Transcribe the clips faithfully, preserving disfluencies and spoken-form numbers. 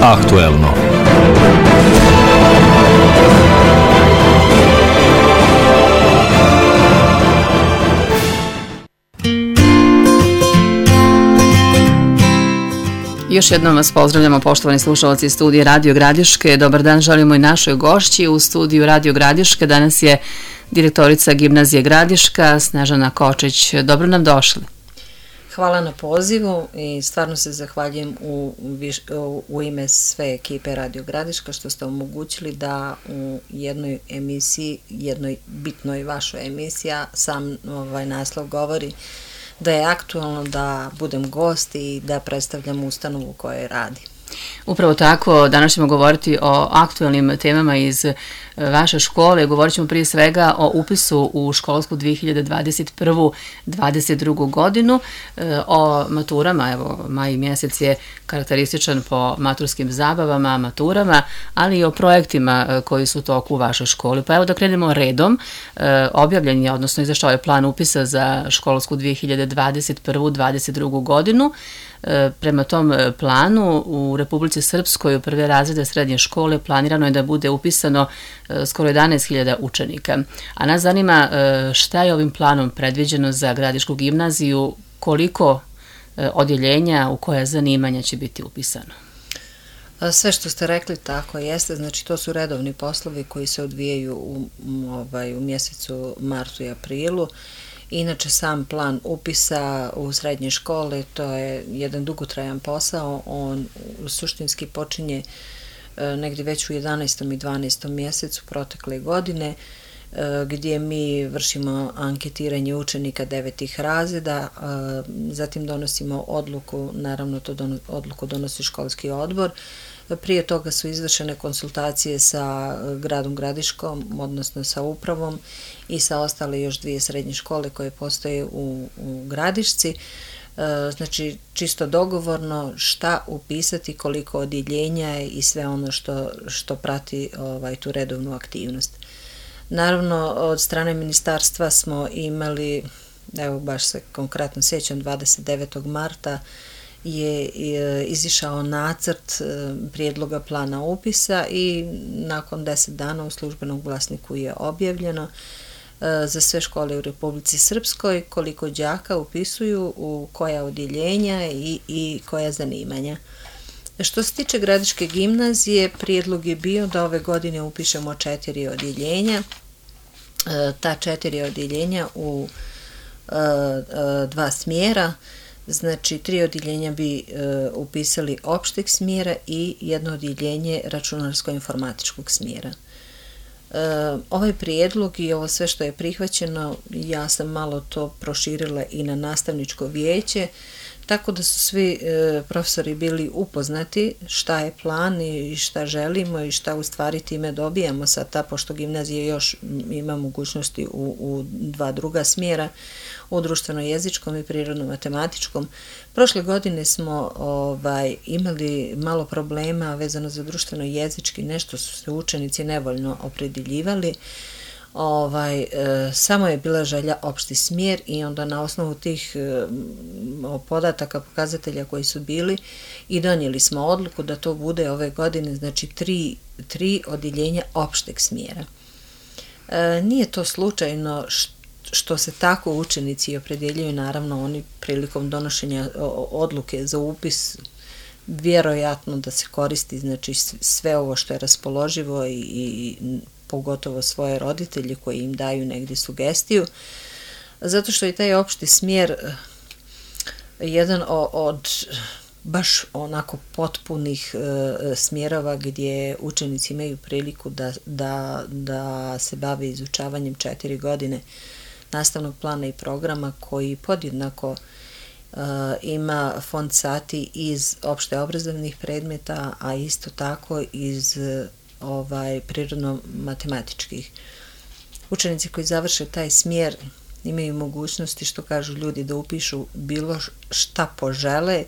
Aktuelno. Još jednom vas pozdravljamo, poštovani slušalci iz studija Radio Gradiške. Dobar dan želimo i našoj gošći u studiju Radio Gradiške. Danas je direktorica Gimnazije Gradiška, Snežana Kočić. Dobro nam došli. Hvala na pozivu i stvarno se zahvaljujem u, u, u ime sve ekipe Radio Gradiška što ste omogućili da u jednoj emisiji, jednoj bitnoj vašoj emisiji, sam ovaj naslov govori da je aktualno da budem gost i da predstavljam ustanovu u kojoj radi. Upravo tako, danas ćemo govoriti o aktualnim temama iz vaše škole. Govorit ćemo prije svega o upisu u školsku dvije hiljade dvadeset prve dvadeset druge godinu, o maturama. Evo, maj mjesec je karakterističan po maturskim zabavama, maturama, ali i o projektima koji su u toku u vašoj školi. Pa evo da krenemo redom. Objavljen je, odnosno izašao je plan upisa za školsku dvije hiljade dvadeset prve dvadeset druge godinu. Prema tom planu u Republici Srpskoj u prve razrede srednje škole planirano je da bude upisano skoro jedanaest hiljada učenika. A nas zanima šta je ovim planom predviđeno za Gradišku gimnaziju, koliko odjeljenja, u koja zanimanja će biti upisano? Sve što ste rekli tako jeste, znači to su redovni poslovi koji se odvijaju u, ovaj, u mjesecu martu i aprilu. Inače, sam plan upisa u srednje škole, to je jedan dugotrajan posao, on suštinski počinje negdje već u jedanaestom i dvanaestom mjesecu protekle godine, gdje mi vršimo anketiranje učenika devetih razreda, zatim donosimo odluku, naravno to dono, odluku donosi školski odbor. Prije toga su izvršene konsultacije sa gradom Gradiškom, odnosno sa upravom i sa ostale još dvije srednje škole koje postoje u, u Gradišci. Znači, čisto dogovorno šta upisati, koliko odjeljenja i sve ono što, što prati ovaj, tu redovnu aktivnost. Naravno, od strane ministarstva smo imali, evo baš se konkretno sjećam, dvadeset devetog marta je izišao nacrt prijedloga plana upisa i nakon deset dana u službenom glasniku je objavljeno za sve škole u Republici Srpskoj koliko đaka upisuju, u koja odjeljenja i, i koja zanimanja. Što se tiče Gradiške gimnazije, prijedlog je bio da ove godine upišemo četiri odjeljenja. Ta četiri odjeljenja u dva smjera. Znači, tri odjeljenja bi e, upisali opšteg smjera i jedno odjeljenje računarsko-informatičkog smjera. E, ovaj prijedlog i ovo sve što je prihvaćeno, ja sam malo to proširila i na nastavničko vijeće, tako da su svi e, profesori bili upoznati šta je plan i šta želimo i šta u stvari time dobijamo sad, ta, pošto gimnazija još ima mogućnosti u, u dva druga smjera, u društveno-jezičkom i prirodno-matematičkom. Prošle godine smo ovaj, imali malo problema vezano za društveno-jezički, nešto su se učenici nevoljno opredjeljivali. Ovaj, e, samo je bila želja opšti smjer i onda na osnovu tih e, podataka, pokazatelja koji su bili i donijeli smo odluku da to bude ove godine, znači tri, tri odjeljenja opšteg smjera. E, nije to slučajno što što se tako učenici opredjeljuju, naravno oni prilikom donošenja odluke za upis vjerojatno da se koristi, znači sve ovo što je raspoloživo i, i pogotovo svoje roditelje koji im daju negdje sugestiju, zato što je taj opšti smjer jedan od baš onako potpunih e, smjerova gdje učenici imaju priliku da, da, da se bave izučavanjem četiri godine nastavnog plana i programa koji podjednako uh, ima fond sati iz opšte obrazovnih predmeta, a isto tako iz uh, ovaj, prirodno-matematičkih. Učenici koji završe taj smjer imaju mogućnosti, što kažu ljudi, da upišu bilo šta požele,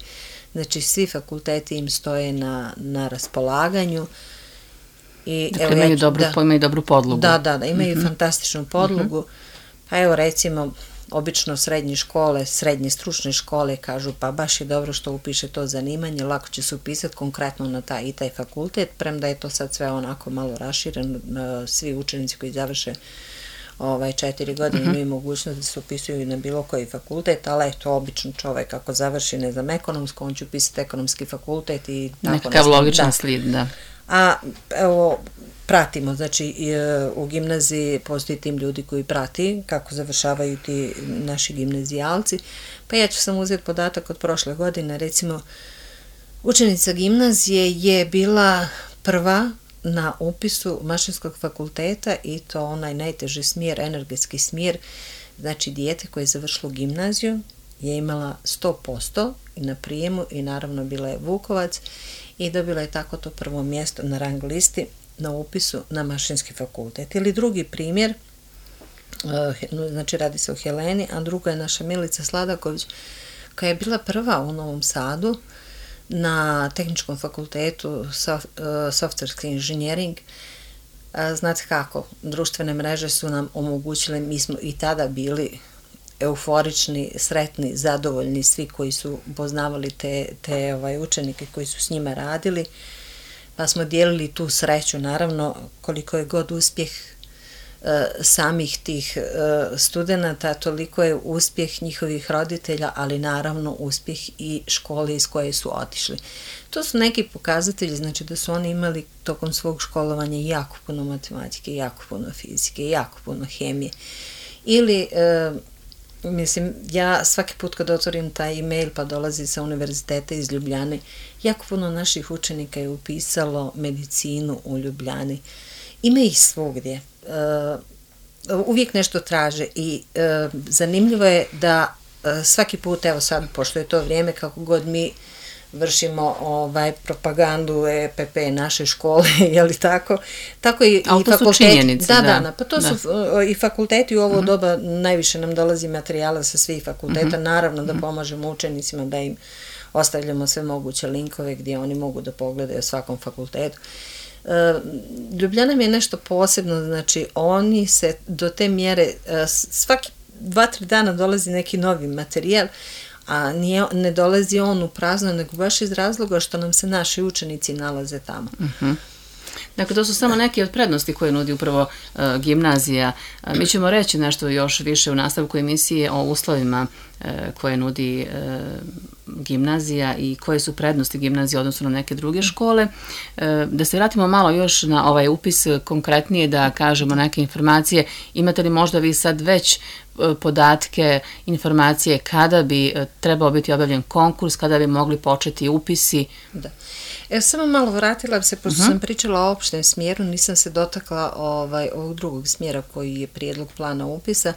znači svi fakulteti im stoje na, na raspolaganju. I, dakle, evo, imaju, ja, dobru, da, imaju dobru podlogu. Da, da, da imaju mm-hmm. fantastičnu podlogu. Mm-hmm. Pa evo recimo, obično srednje škole, srednje stručne škole kažu pa baš je dobro što upiše to zanimanje, lako će se upisati konkretno na taj i taj fakultet, premda je to sad sve onako malo rašireno, svi učenici koji završe ovaj, četiri godine mm-hmm. imaju mogućnost da se upisuju na bilo koji fakultet, ali eto, obično čovjek ako završi, ne znam, ekonomsko, on će upisati ekonomski fakultet i tako nešto. Nekakav logičan slijed, da. A evo, pratimo, znači u gimnaziji postoji tim ljudi koji prati kako završavaju ti naši gimnazijalci, pa ja ću sam uzeti podatak od prošle godine, recimo učenica gimnazije je bila prva na upisu mašinskog fakulteta i to onaj najteži smjer, energetski smjer, znači dijete koje je završilo gimnaziju je imala sto posto i na prijemu i naravno bila je Vukovac i dobila je tako to prvo mjesto na rang listi na upisu na mašinski fakultet. Ili drugi primjer, znači radi se o Heleni, a druga je naša Milica Sladaković koja je bila prva u Novom Sadu na tehničkom fakultetu softverski inženjering. Znate kako, društvene mreže su nam omogućile, mi smo i tada bili euforični, sretni, zadovoljni, svi koji su poznavali te, te ovaj, učenike koji su s njima radili, pa smo dijelili tu sreću, naravno koliko je god uspjeh e, samih tih e, studenata, toliko je uspjeh njihovih roditelja, ali naravno uspjeh i škole iz koje su otišli. To su neki pokazatelji, znači da su oni imali tokom svog školovanja jako puno matematike, jako puno fizike, jako puno hemije. Ili e, mislim, ja svaki put kad otvorim taj e-mail pa dolazi sa univerziteta iz Ljubljane, jako puno naših učenika je upisalo medicinu u Ljubljani. Ima ih svugdje. Uh, uvijek nešto traže i uh, zanimljivo je da uh, svaki put, evo sad, pošto je to vrijeme, kako god mi vršimo ovaj propagandu E P P naše škole, je li tako? Tako i, ali i to fakulteti. Su činjenice, da, da, da, pa to da. su i fakulteti u ovo mm-hmm. doba, najviše nam dolazi materijala sa svih fakulteta, mm-hmm. naravno da pomažemo učenicima, da im ostavljamo sve moguće linkove gdje oni mogu da pogledaju o svakom fakultetu. Uh, Ljubljana mi je nešto posebno, znači oni se do te mjere, uh, svaki dva, tri dana dolazi neki novi materijal, a nije, ne dolazi on u prazno, nego baš iz razloga što nam se naši učenici nalaze tamo. Uh-huh. Dakle, to su samo neke od prednosti koje nudi upravo uh, gimnazija. Uh, mi ćemo reći nešto još više u nastavku emisije o uslovima uh, koje nudi uh, gimnazija i koje su prednosti gimnazije odnosno na neke druge škole. Uh, da se vratimo malo još na ovaj upis konkretnije, da kažemo neke informacije. Imate li možda vi sad već podatke, informacije kada bi trebao biti objavljen konkurs, kada bi mogli početi upisi? Da. Evo, samo malo vratila se, pošto uh-huh. sam pričala o opštem smjeru, nisam se dotakla ovaj, ovog drugog smjera koji je prijedlog plana upisa,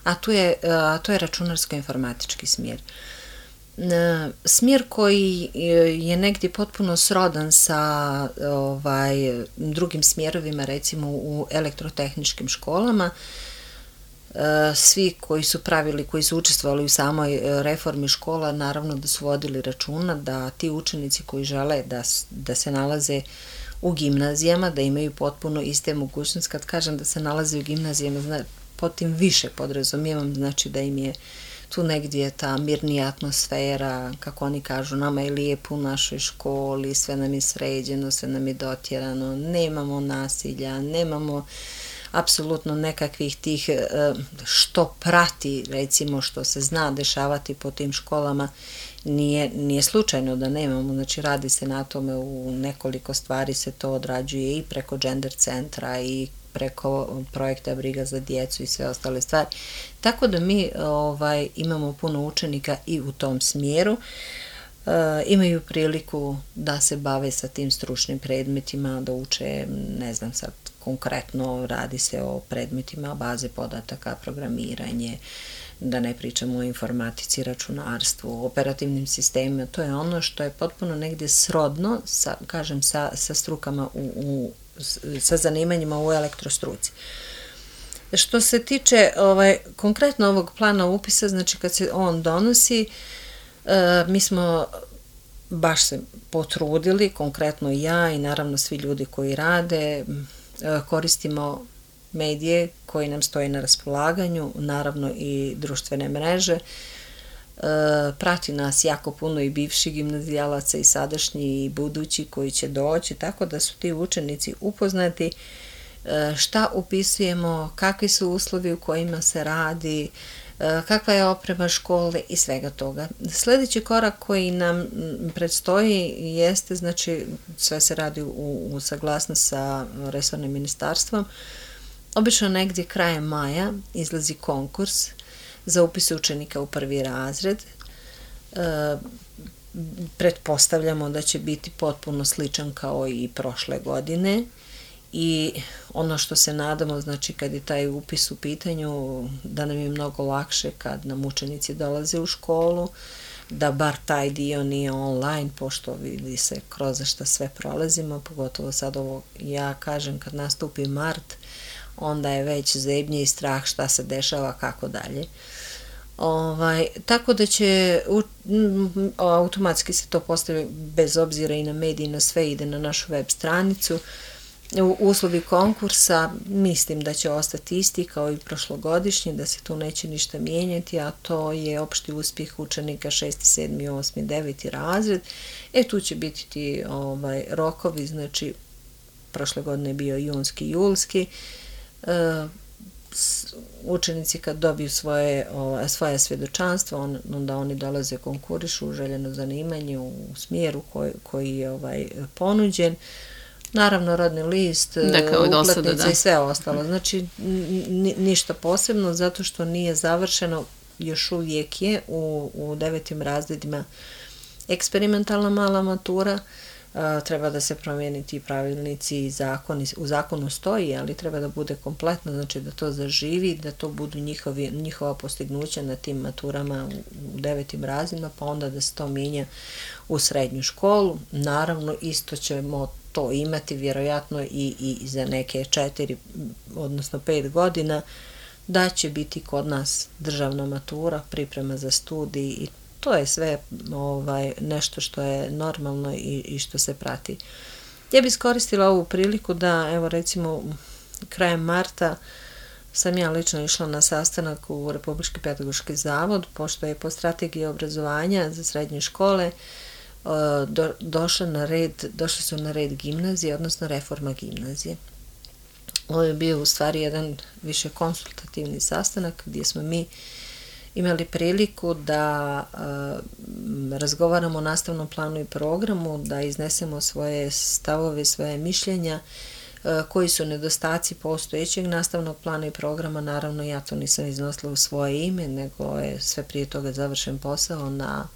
a to je, a to je računarsko-informatički smjer. Smjer koji je negdje potpuno srodan sa ovaj, drugim smjerovima, recimo u elektrotehničkim školama. Svi koji su pravili, koji su učestvovali u samoj reformi škola, naravno da su vodili računa da ti učenici koji žele da, da se nalaze u gimnazijama, da imaju potpuno iste mogućnosti. Kad kažem da se nalaze u gimnazijama, znači, pod tim više podrazumijevam, znači da im je tu negdje ta mirnija atmosfera, kako oni kažu, nama je lijepo u našoj školi, sve nam je sređeno, sve nam je dotjerano, nemamo nasilja, nemamo apsolutno nekakvih tih što prati, recimo što se zna dešavati po tim školama, nije, nije slučajno da nemamo, znači radi se na tome, u nekoliko stvari se to odrađuje i preko gender centra i preko projekta Briga za djecu i sve ostale stvari. Tako da mi ovaj, imamo puno učenika i u tom smjeru. E, imaju priliku da se bave sa tim stručnim predmetima, da uče, ne znam sad, konkretno radi se o predmetima baze podataka, programiranje, da ne pričamo o informatici, računarstvu, operativnim sistemima, to je ono što je potpuno negdje srodno, sa, kažem, sa, sa strukama, u, u, sa zanimanjima u elektrostruci. Što se tiče ovaj, konkretno ovog plana upisa, znači kad se on donosi, e, mi smo baš se potrudili, konkretno ja i naravno svi ljudi koji rade, koristimo medije koji nam stoji na raspolaganju, naravno i društvene mreže. Prati nas jako puno i bivših gimnazijalaca i sadašnji i budući koji će doći, tako da su ti učenici upoznati šta upisujemo, kakvi su uslovi u kojima se radi, kakva je oprema škole i svega toga. Sljedeći korak koji nam predstoji jeste, znači sve se radi u, u saglasnost sa resornim ministarstvom. Obično negdje krajem maja izlazi konkurs za upis učenika u prvi razred. E, pretpostavljamo da će biti potpuno sličan kao i prošle godine i ono što se nadamo, znači kad je taj upis u pitanju, da nam je mnogo lakše kad nam učenici dolaze u školu, da bar taj dio nije online, pošto vidi se kroz šta sve prolazimo, pogotovo sad ovo, ja kažem, kad nastupi mart, onda je već zebnje i strah šta se dešava, kako dalje. Ovaj, tako da će u, m, automatski se to postavi bez obzira i na mediji, na sve ide na našu web stranicu. U uslovi konkursa mislim da će ostati isti kao i prošlogodišnji, da se tu neće ništa mijenjati, a to je opšti uspjeh učenika šesti, sedmi, osmi, deveti razred. E tu će biti ti ovaj, rokovi, znači prošle godine je bio junski, julski. E, učenici kad dobiju svoje, o, svoje svjedočanstvo, on, onda oni dolaze konkurišu u željeno zanimanje u smjeru koji, koji je ovaj, ponuđen. Naravno, rodni list, uplatnice i sve ostalo. Znači, ni, ništa posebno, zato što nije završeno, još uvijek je u, u devetim razredima eksperimentalna mala matura. Uh, treba da se promijeniti i pravilnici i zakoni, u zakonu stoji, ali treba da bude kompletno, znači da to zaživi, da to budu njihovi, njihova postignuća na tim maturama u, u devetim razredima, pa onda da se to mijenja u srednju školu. Naravno, isto ćemo to imati vjerojatno i, i za neke četiri, odnosno pet godina, da će biti kod nas državna matura, priprema za studij i to je sve ovaj, nešto što je normalno i, i što se prati. Ja bih iskoristila ovu priliku da, evo recimo, krajem marta sam ja lično išla na sastanak u Republički pedagoški zavod, pošto je po strategiji obrazovanja za srednje škole do, došla na red, došli su na red gimnazije, odnosno reforma gimnazije. Ovo je bio u stvari jedan više konsultativni sastanak gdje smo mi imali priliku da uh, razgovaramo o nastavnom planu i programu, da iznesemo svoje stavove, svoje mišljenja, uh, koji su nedostaci postojećeg nastavnog plana i programa. Naravno, ja to nisam iznosila u svoje ime, nego je sve prije toga završen posao na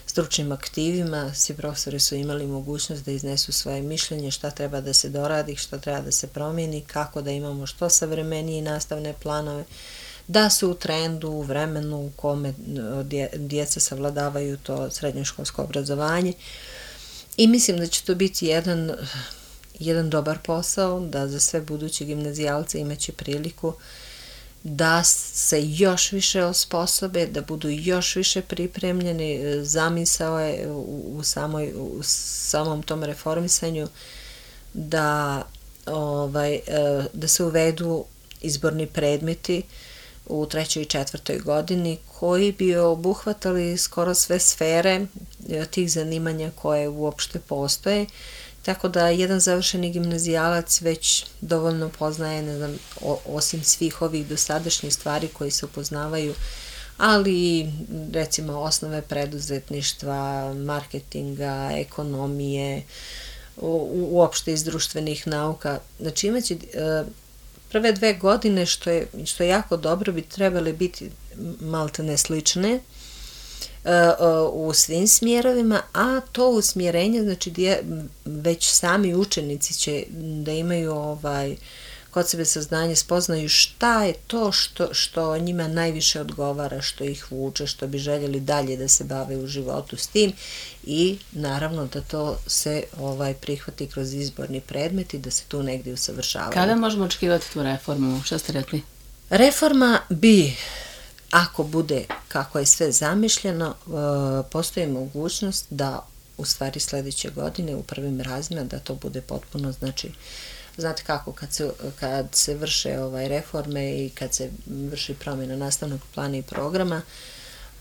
stručnim aktivima. Svi profesori su imali mogućnost da iznesu svoje mišljenje, šta treba da se doradi, šta treba da se promijeni, kako da imamo što savremenije nastavne planove, da su u trendu, u vremenu u kome djeca savladavaju to srednjoškolsko obrazovanje. I mislim da će to biti jedan, jedan dobar posao, da za sve buduće gimnazijalce imaće priliku da se još više osposobe, da budu još više pripremljeni. Zamisao je u, u, samoj, u samom tom reformisanju da, ovaj, da se uvedu izborni predmeti u trećoj i četvrtoj godini koji bi obuhvatali skoro sve sfere tih zanimanja koje uopšte postoje, tako da jedan završeni gimnazijalac već dovoljno poznaje, ne znam, o, osim svih ovih dosadašnjih stvari koji se upoznavaju, ali recimo osnove preduzetništva, marketinga, ekonomije, u, uopšte iz društvenih nauka. Znači imaće prve dve godine, što je, što je jako dobro, bi trebale biti maltene slične u svim smjerovima, a to usmjerenje, znači gdje već sami učenici će da imaju ovaj, kod sebe saznanje, spoznaju šta je to što, što njima najviše odgovara, što ih vuče, što bi željeli dalje da se bave u životu s tim i naravno da to se ovaj, prihvati kroz izborni predmet i da se tu negdje usavršavaju. Kada možemo očekivati tu reformu? Što ste rekli? Reforma bi, ako bude kako je sve zamišljeno, postoji mogućnost da u stvari sljedeće godine u prvim razredima da to bude potpuno, znači, znate kako, kad se, kad se vrše ovaj, reforme i kad se vrši promjena nastavnog plana i programa,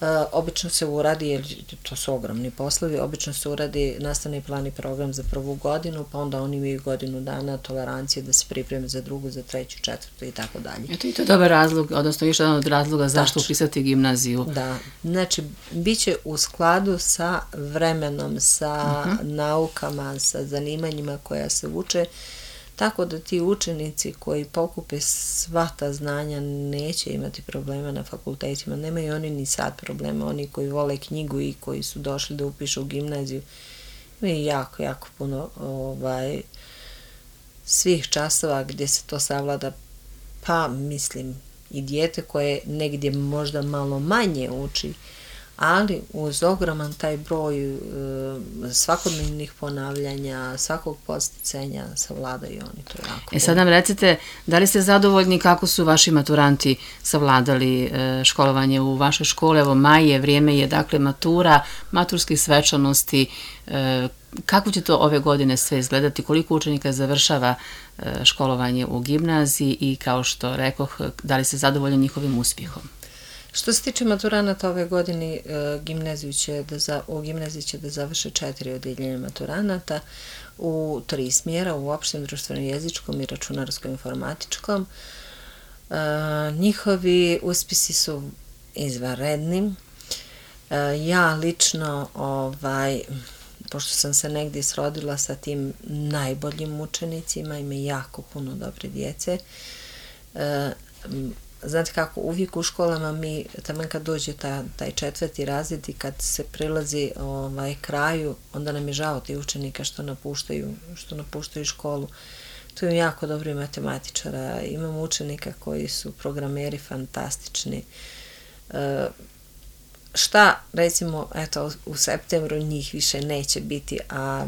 Uh, obično se uradi, jer to su ogromni poslovi, obično se uradi nastavni plan i program za prvu godinu, pa onda oni imaju godinu dana tolerancije da se pripreme za drugu, za treću, četvrtu i tako dalje. Eto i to je dobar razlog, odnosno još jedan od razloga zašto upisati gimnaziju. Da, znači bit će u skladu sa vremenom, sa uh-huh. naukama, sa zanimanjima koja se uče, tako da ti učenici koji pokupe sva ta znanja neće imati problema na fakultetima. Nemaju oni ni sad problema, oni koji vole knjigu i koji su došli da upišu u gimnaziju. Imaju jako, jako puno ovaj, svih časova gdje se to savlada, pa mislim i dijete koje negdje možda malo manje uči, ali uz ogroman taj broj e, svakodnevnih ponavljanja, svakog podsticanja savladaju oni to jako. E sad nam recite, da li ste zadovoljni kako su vaši maturanti savladali e, školovanje u vašoj školi? Evo maj je, vrijeme je, dakle matura, maturskih svečanosti, e, kako će to ove godine sve izgledati, koliko učenika završava e, školovanje u gimnaziji i kao što rekoh, da li ste zadovoljni njihovim uspjehom? Što se tiče maturanata ove godine, gimnaziju će da za, u gimnaziji će da završe četiri odeljenja maturanata u tri smjera, u opštem, društveno-jezičkom i računarsko-informatičkom. E, njihovi uspjesi su izvanredni. E, ja lično, ovaj, pošto sam se negdje srodila sa tim najboljim učenicima, ima jako puno dobre djece, e, znate kako, uvijek u školama mi, taman kad dođe ta, taj četvrti razred i kad se prilazi ovaj, kraju, onda nam je žao ti učenika što napuštaju, što napuštaju školu. Tu imam jako dobri matematičara, imam učenika koji su programeri fantastični. E, šta, recimo, eto, u septembru njih više neće biti, a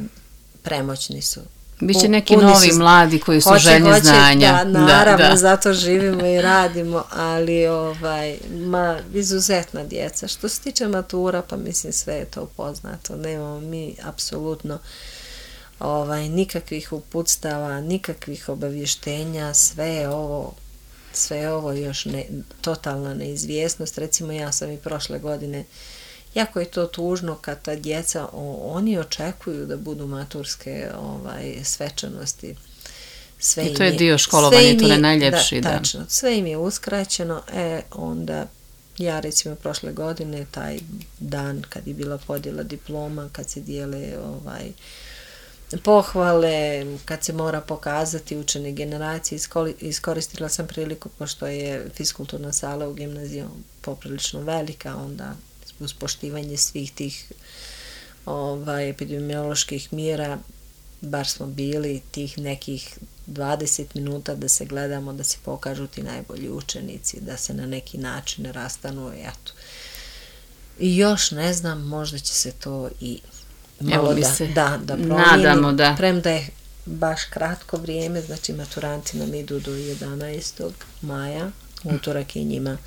premoćni su. Biće neki novi su, mladi koji su hoće, željni hoće, znanja. Da, naravno, da, da. Zato živimo i radimo, ali ovaj, ma, izuzetna djeca. Što se tiče matura, pa mislim sve je to poznato. Nemamo mi apsolutno ovaj, nikakvih uputstava, nikakvih obavještenja, sve je ovo, sve je ovo još ne, totalna neizvjesnost. Recimo ja sam i prošle godine, jako je to tužno kad ta djeca, o, oni očekuju da budu maturske ovaj, svečanosti. Sve I to je dio školovanja, to je najljepši. Da, tačno, sve im je uskraćeno, e, onda ja recimo prošle godine, taj dan kad je bila podjela diploma, kad se dijele ovaj, pohvale, kad se mora pokazati učene generacije, iskoristila sam priliku, pošto je fiskulturna sala u gimnaziji poprilično velika, onda uz poštivanje svih tih ovaj, epidemioloških mjera, bar smo bili tih nekih dvadeset minuta da se gledamo, da se pokažu ti najbolji učenici, da se na neki način rastanu, eto. I još ne znam, možda će se to i malo da, se da, da promijeni. Nadamo da. Premda je baš kratko vrijeme, znači maturanti nam idu do jedanaestog maja, utorak je njima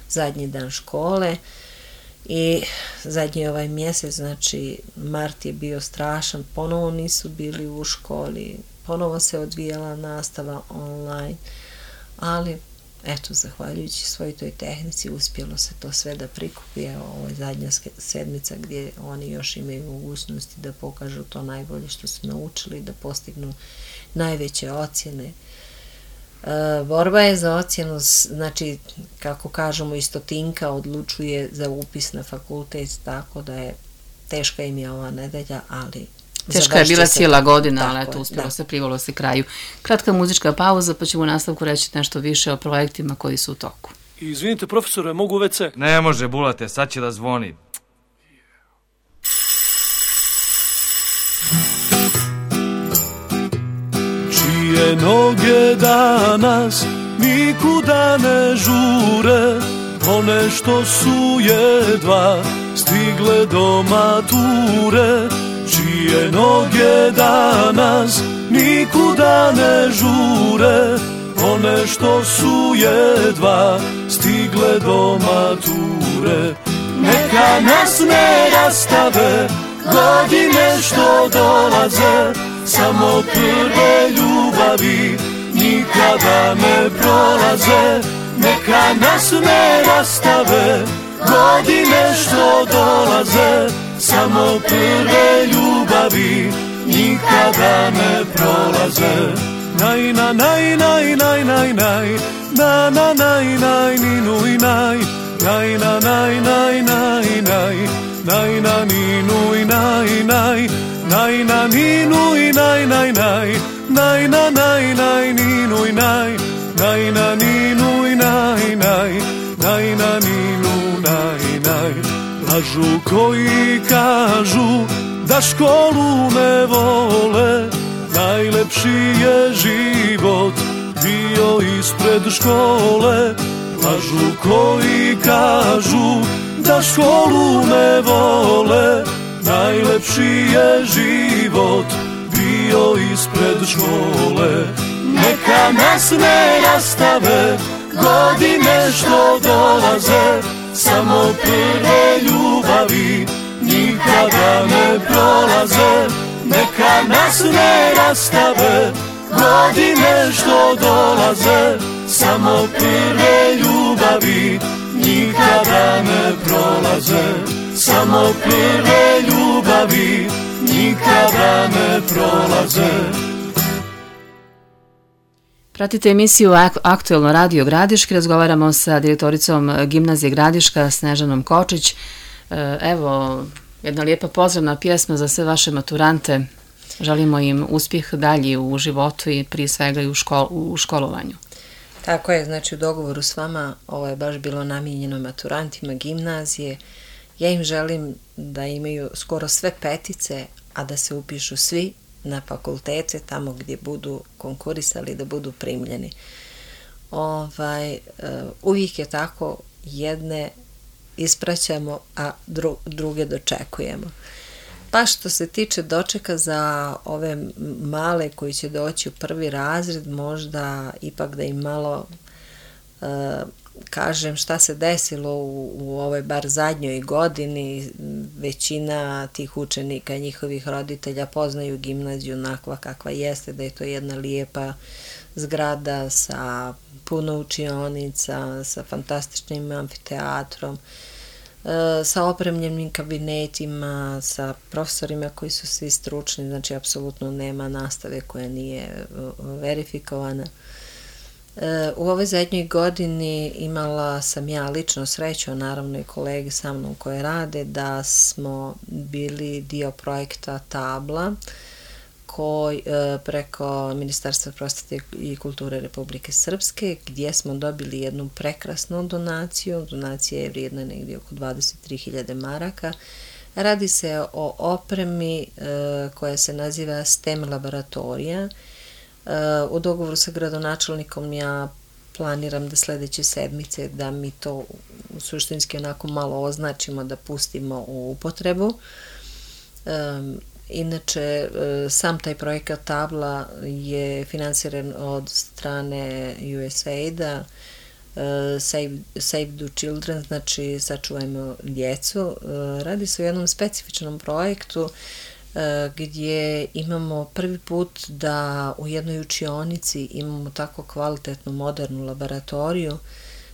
zadnji dan škole. I zadnji ovaj mjesec, znači mart je bio strašan, ponovo nisu bili u školi, ponovo se odvijala nastava online, ali eto, zahvaljujući svoj toj tehnici uspjelo se to sve da prikupi. Evo, ovo je zadnja sedmica gdje oni još imaju mogućnosti da pokažu to najbolje što su naučili, da postignu najveće ocjene. Uh, borba je za ocjenu, znači, kako kažemo, i stotinka odlučuje za upis na fakultet, tako da je teška im je ova nedelja, ali teška je bila cijela godina, ali eto, uspjelo se, privolo se kraju. Kratka muzička pauza, pa ćemo u nastavku reći nešto više o projektima koji su u toku. Izvinite, profesore, mogu u ve ce? Ne može, Bulate, sad će da zvoni. Čije noge danas nikuda ne žure, one što su jedva stigle do mature. Čije noge danas nikuda ne žure, one što su jedva stigle do mature. Neka nas ne rastave godine što dolaze, samo prve ljubavi nikada ne prolaze. Neka nas ne rastave godine što dolaze, samo prve ljubavi nikada ne prolaze. Naj, na, naj, naj, naj, naj, naj, na, na, naj, naj, ninu i naj, naj, na, naj, naj, naj, naj, naj, na, ninu i naj, naj, naj, na, ninu i naj, naj, naj, naj, na, naj, naj, ninu i naj, naj, na, ninu i naj, naj, naj, na, ninu, naj, naj. Lažu koji kažu da školu ne vole, najlepši je život bio ispred škole. Lažu koji kažu da školu ne vole, najlepši je život bio ispred škole. Neka nas ne rastave godine što dolaze, samo prve ljubavi nikada ne prolaze. Neka nas ne rastave godine što dolaze, samo prve ljubavi nikada ne prolaze, samo prve ljubavi nikada ne prolaze. Pratite emisiju Aktuelno radio Gradiški, razgovaramo sa direktoricom Gimnazije Gradiška Snežanom Kočić. Evo, jedna lijepa pozdravna pjesma za sve vaše maturante. Želimo im uspjeh dalji u životu i prije svega i u, škol, u školovanju. Tako je, znači u dogovoru s vama ovo je baš bilo namijenjeno maturantima gimnazije. Ja im želim da imaju skoro sve petice, a da se upišu svi na fakultete tamo gdje budu konkurisali, da budu primljeni. Ovaj, uvijek je tako, jedne ispraćamo, a dru, druge dočekujemo. Pa što se tiče dočeka za ove male koji će doći u prvi razred, možda ipak da im malo uh, kažem šta se desilo u, u ovoj bar zadnjoj godini. Većina tih učenika, njihovih roditelja poznaju gimnaziju onakva kakva jeste, da je to jedna lijepa zgrada sa puno učionica, sa fantastičnim amfiteatrom, sa opremljenim kabinetima, sa profesorima koji su svi stručni, znači apsolutno nema nastave koja nije verifikovana. U ovoj zadnjoj godini imala sam ja lično sreću, a naravno i kolege sa mnom koje rade, da smo bili dio projekta Tabla, koji preko Ministarstva prosvjete i kulture Republike Srpske, gdje smo dobili jednu prekrasnu donaciju. Donacija je vrijedna negdje oko dvadeset tri hiljade maraka. Radi se o opremi koja se naziva STEM laboratorija. U dogovoru sa gradonačelnikom ja planiram da sljedeće sedmice da mi to suštinski onako malo označimo, da pustimo u upotrebu. Inače, sam taj projekat Tabla je finansiran od strane U S A I D-a, Save, Save the Children, znači sačuvajmo djecu. Radi se o jednom specifičnom projektu gdje imamo prvi put da u jednoj učionici imamo tako kvalitetnu modernu laboratoriju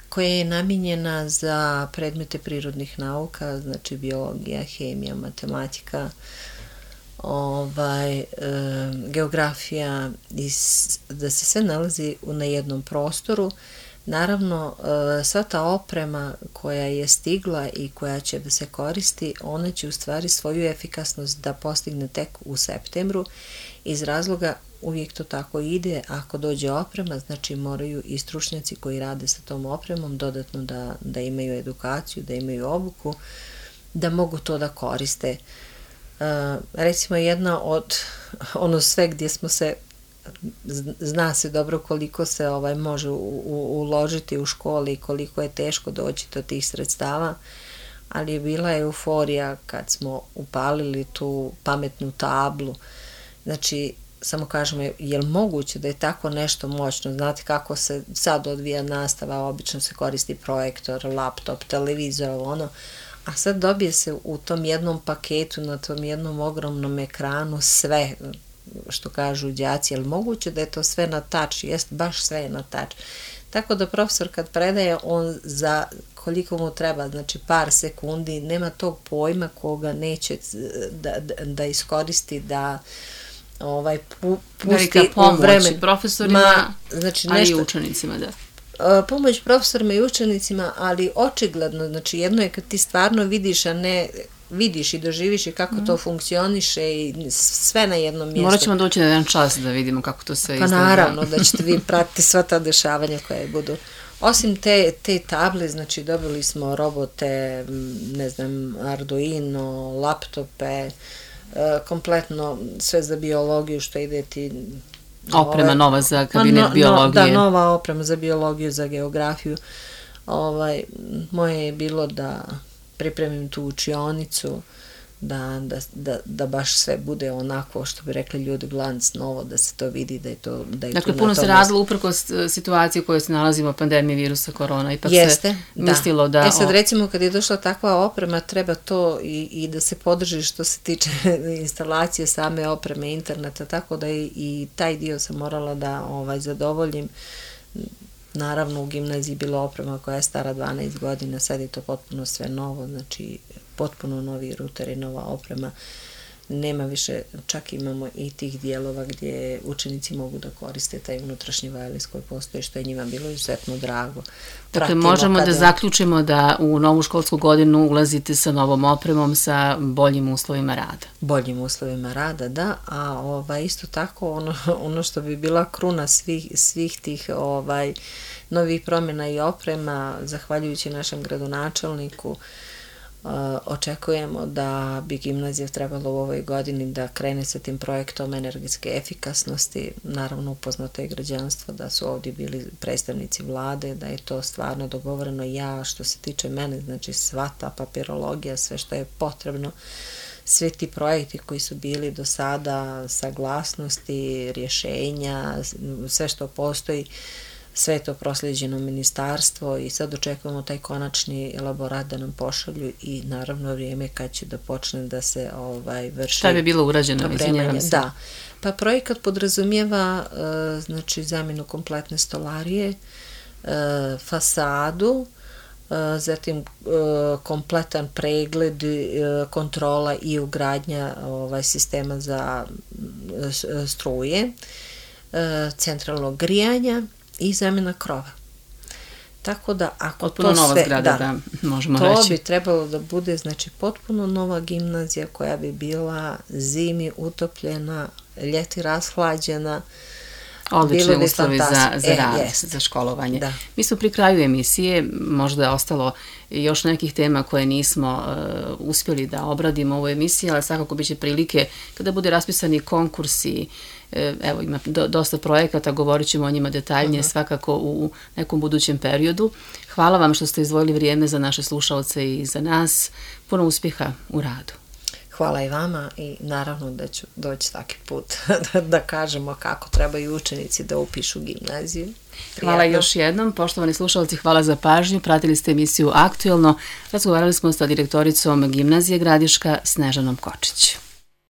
koja je namijenjena za predmete prirodnih nauka, znači biologija, hemija, matematika, ovaj, e, geografija, i da se sve nalazi na jednom prostoru. Naravno, e, sva ta oprema koja je stigla i koja će da se koristi, ona će u stvari svoju efikasnost da postigne tek u septembru. Iz razloga, uvijek to tako ide, ako dođe oprema, znači moraju i stručnjaci koji rade sa tom opremom dodatno da, da imaju edukaciju, da imaju obuku, da mogu to da koriste. Uh, recimo jedna od ono sve gdje smo se, zna se dobro koliko se ovaj može u, u, uložiti u školi i koliko je teško doći do tih sredstava, ali je bila euforija kad smo upalili tu pametnu tablu. Znači, samo kažemo, je li moguće da je tako nešto moćno? Znate kako se sad odvija nastava, obično se koristi projektor, laptop, televizor, ono, a sad dobije se u tom jednom paketu, na tom jednom ogromnom ekranu sve. što kažu đaci, jel moguće da je to sve na tač? Jest, baš sve je na tač. Tako da profesor kad predaje, on za koliko mu treba, znači par sekundi, nema tog pojma koga neće da, da, da iskoristi, da ovaj, pu, pusti velika pomoć u vreme. Profesorima, Ma, znači, ali nešto, i učenicima, da. Pomoć profesorima i učenicima, ali očigledno, znači jedno je kad ti stvarno vidiš, a ne vidiš i doživiš i kako mm. to funkcioniše i sve na jednom mjestu. Morat ćemo doći na jedan čas da vidimo kako to sve pa izgleda. Pa naravno da ćete vi pratiti sva ta dešavanja koje budu. Osim te, te table, znači dobili smo robote, ne znam, Arduino, laptope, kompletno sve za biologiju što ide ti... Oprema ove, nova za kabinet no, biologije. Da, nova oprema za biologiju, za geografiju. Ovaj, moje je bilo da pripremim tu učionicu, da, da, da, da baš sve bude onako, što bi rekli ljudi, glanc novo, da se to vidi, da je to... Da je dakle, puno se radilo uprkos situacije u kojoj se nalazimo, pandemije virusa korona, ipak Jeste, se mislilo da... E sad, recimo, kad je došla takva oprema, treba to i, i da se podrži što se tiče instalacije same opreme, interneta, tako da i, i taj dio sam morala da ovaj, zadovoljim. Naravno, u gimnaziji bila oprema koja je stara dvanaest godina, sad je to potpuno sve novo, znači potpuno novi ruteri, nova oprema. Nema više, čak imamo i tih dijelova gdje učenici mogu da koriste taj unutrašnji wireless koji postoji, što je njima bilo izuzetno drago. Dakle, možemo kada... da zaključimo da u novu školsku godinu ulazite sa novom opremom, sa boljim uslovima rada. Boljim uslovima rada, da, a ovaj, isto tako ono, ono što bi bila kruna svih, svih tih ovaj, novih promjena i oprema, zahvaljujući našem gradonačelniku, Uh, očekujemo da bi gimnazija trebalo u ovoj godini da krene sa tim projektom energetske efikasnosti. Naravno, upoznato je građanstvo da su ovdje bili predstavnici vlade, da je to stvarno dogovoreno. Ja, što se tiče mene, znači sva ta papirologija, sve što je potrebno, sve ti projekti koji su bili do sada, saglasnosti, rješenja, sve što postoji, sve je to proslijeđeno ministarstvo i sad očekujemo taj konačni elaborat da nam pošalju i naravno vrijeme kad će da počne da se ovaj, vrši... Šta bi bilo urađeno, izvinjavam se? Da, pa projekat podrazumijeva uh, znači zamjenu kompletne stolarije, uh, fasadu, uh, zatim uh, kompletan pregled, uh, kontrola i ugradnja ovaj, sistema za uh, struje, uh, centralnog grijanja i zamjena krova. Tako da ako potpuno to nova sve, zgrada, da, da, možemo to reći. bi trebalo da bude znači potpuno nova gimnazija koja bi bila zimi utopljena, ljeti rashlađena. Odlični uslovi za, za rad, e, za školovanje. Da. Mi smo pri kraju emisije, možda je ostalo još nekih tema koje nismo uh, uspjeli da obradimo u ovoj emisiji, ali svakako biće prilike kada bude raspisani konkursi. Evo, ima do, dosta projekata, govorit ćemo o njima detaljnije uh-huh. svakako u nekom budućem periodu. Hvala vam što ste izdvojili vrijeme za naše slušalce i za nas. Puno uspjeha u radu. Hvala i vama i naravno da ću doći svaki put da, da kažemo kako trebaju učenici da upišu gimnaziju. Prijatno. Hvala još jednom. Poštovani slušalci, hvala za pažnju. Pratili ste emisiju Aktuelno. Razgovarali smo sa direktoricom gimnazije Gradiška Snežanom Kočić.